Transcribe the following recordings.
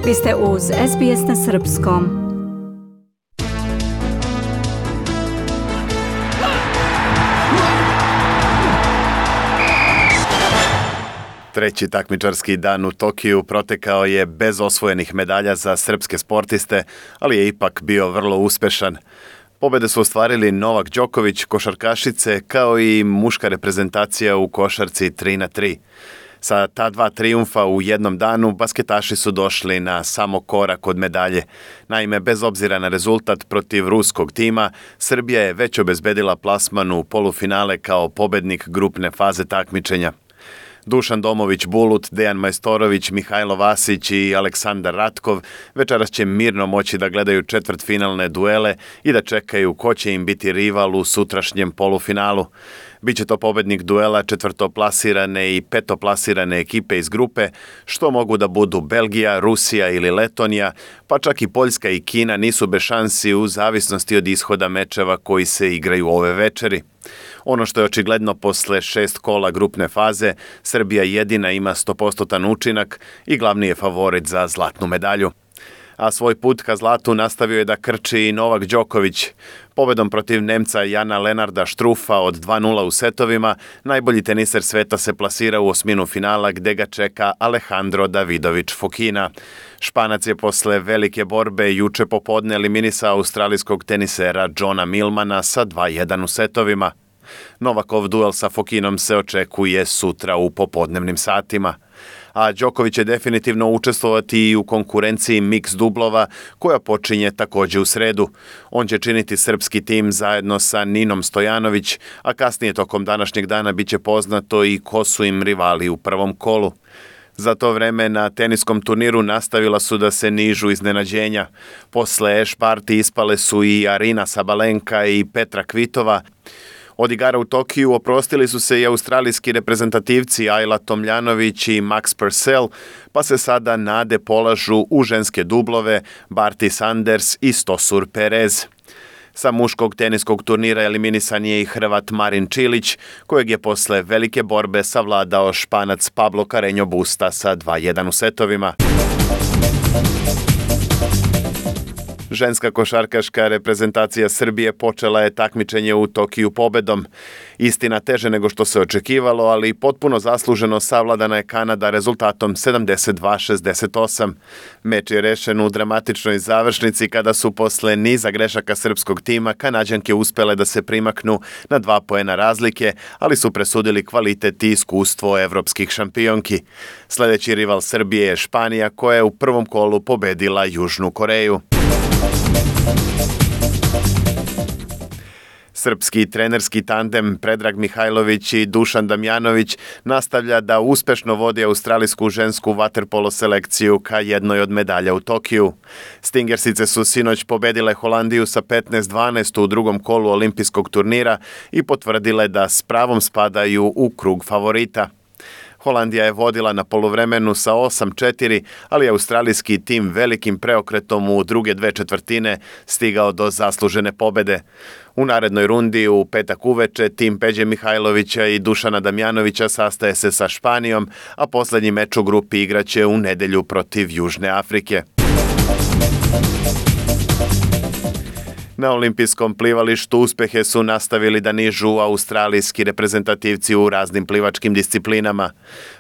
Vi ste uz SBS na Srpskom. Treći takmičarski dan u Tokiju protekao je bez osvojenih medalja za srpske sportiste, ali je ipak bio vrlo uspešan. Pobjede su ostvarili Novak Đoković, košarkašice, kao i muška reprezentacija u košarci 3x3. Sa ta dva trijumfa u jednom danu, basketaši su došli na samo korak od medalje. Naime, bez obzira na rezultat protiv ruskog tima, Srbija je već obezbedila plasman u polufinale kao pobednik grupne faze takmičenja. Dušan Domović-Bulut, Dejan Majstorović, Mihajlo Vasić i Aleksandar Ratkov večeras će mirno moći da gledaju četvrtfinalne duele i da čekaju ko će im biti rival u sutrašnjem polufinalu. Biće to pobednik duela četvrtoplasirane i petoplasirane ekipe iz grupe, što mogu da budu Belgija, Rusija ili Letonija, pa čak i Poljska i Kina nisu bez šansi u zavisnosti od ishoda mečeva koji se igraju ove večeri. Ono što je očigledno posle 6 kola grupne faze, Srbija jedina ima 100% učinak i glavni je favorit za zlatnu medalju. A svoj put ka zlatu nastavio je da krči i Novak Đoković. Pobedom protiv Nemca Jana Lenarda Štrufa od 2:0 u setovima, najbolji teniser sveta se plasira u osminu finala gde ga čeka Alejandro Davidović Fokina. Španac je posle velike borbe juče popodne eliminisao australijskog tenisera Johna Millmana sa 2:1 u setovima. Novakov duel sa Fokinom se očekuje sutra u popodnevnim satima. A Đoković će definitivno učestvovati i u konkurenciji mix dublova koja počinje također u sredu. On će činiti srpski tim zajedno sa Ninom Stojanović, a kasnije tokom današnjeg dana bit će poznato i ko su im rivali u prvom kolu. Za to vreme na teniskom turniru nastavila su da se nižu iznenađenja. Posle Ešparti ispale su i Arina Sabalenka i Petra Kvitova. Od igara u Tokiju oprostili su se i australijski reprezentativci Ajla Tomljanović i Max Purcell, pa se sada nade polažu u ženske dublove Barty Sanders i Stosur Perez. Sa muškog teniskog turnira eliminisan je i Hrvat Marin Čilić, kojeg je posle velike borbe savladao Španac Pablo Carreño Busta sa 2:1 u setovima. Ženska košarkaška reprezentacija Srbije počela je takmičenje u Tokiju pobedom. Istina teže nego što se očekivalo, ali potpuno zasluženo savladana je Kanada rezultatom 72-68. Meč je rešen u dramatičnoj završnici kada su posle niza grešaka srpskog tima Kanađanke uspele da se primaknu na 2 poena razlike, ali su presudili kvalitet i iskustvo evropskih šampionki. Sledeći rival Srbije je Španija, koja je u prvom kolu pobedila Južnu Koreju. Srpski trenerski tandem Predrag Mihajlović i Dušan Damjanović nastavlja da uspešno vodi australijsku žensku vaterpolo selekciju ka jednoj od medalja u Tokiju. Stingersice su sinoć pobedile Holandiju sa 15-12 u drugom kolu olimpijskog turnira i potvrdile da s pravom spadaju u krug favorita. Holandija je vodila na poluvremenu sa 8:4, ali je australijski tim velikim preokretom u druge 2/4 stigao do zaslužene pobede. U narednoj rundi u petak uveče tim Peđe Mihajlovića i Dušana Damjanovića sastaje se sa Španijom, a poslednji meč u grupi igraće u nedelju protiv Južne Afrike. Na olimpijskom plivalištu uspehe su nastavili da nižu australijski reprezentativci u raznim plivačkim disciplinama.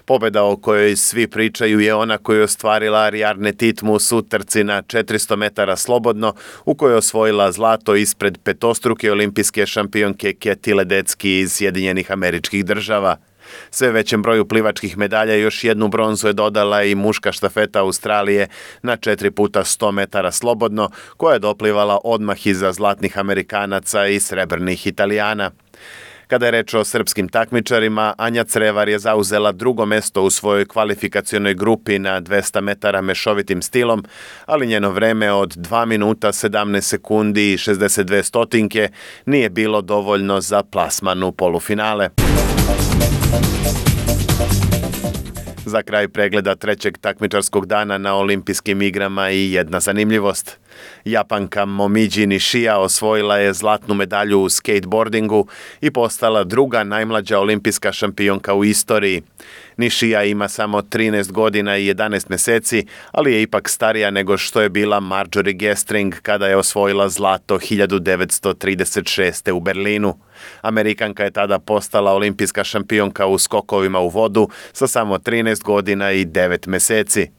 Pobeda o kojoj svi pričaju je ona koju je ostvarila Ariarne Titmus u trci na 400 metara slobodno, u kojoj je osvojila zlato ispred petostruke olimpijske šampionke Keti Ledecki iz Sjedinjenih Američkih Država. Sve većem broju plivačkih medalja još jednu bronzu je dodala i muška štafeta Australije na 4x100 metara slobodno, koja je doplivala odmah iza zlatnih Amerikanaca i srebrnih Italijana. Kada je reč o srpskim takmičarima, Anja Crevar je zauzela drugo mesto u svojoj kvalifikacionoj grupi na 200 metara mešovitim stilom, ali njeno vreme od 2 minuta 17 sekundi i 62 stotinke nije bilo dovoljno za plasman u polufinale. Za kraj pregleda trećeg takmičarskog dana na olimpijskim igrama i jedna zanimljivost. Japanka Momiji Nishija osvojila je zlatnu medalju u skateboardingu i postala druga najmlađa olimpijska šampionka u istoriji. Nišija ima samo 13 godina i 11 mjeseci, ali je ipak starija nego što je bila Marjorie Gestring kada je osvojila zlato 1936. u Berlinu. Amerikanka je tada postala olimpijska šampionka u skokovima u vodu sa samo 13 godina i 9 mjeseci.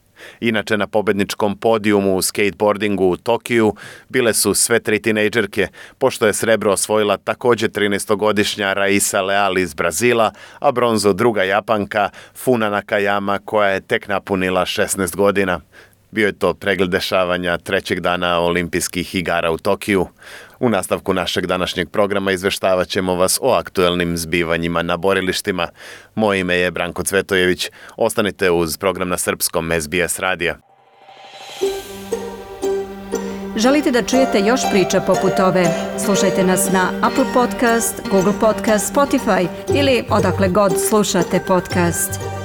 Inače, na pobedničkom podijumu u skateboardingu u Tokiju bile su sve 3 tinejdžerke, pošto je srebro osvojila također 13-godišnja Raisa Leal iz Brazila, a bronzo druga Japanka Funa Nakayama koja je tek napunila 16 godina. Bio je to pregled dešavanja trećeg dana olimpijskih igara u Tokiju. U nastavku našeg današnjeg programa izveštavat ćemo vas o aktuelnim zbivanjima na borilištima. Moje ime je Branko Cvetojević. Ostanite uz program na srpskom SBS radija. Želite da čujete još priča poput ove? Slušajte nas na Apple Podcast, Google Podcast, Spotify ili odakle god slušate podcast.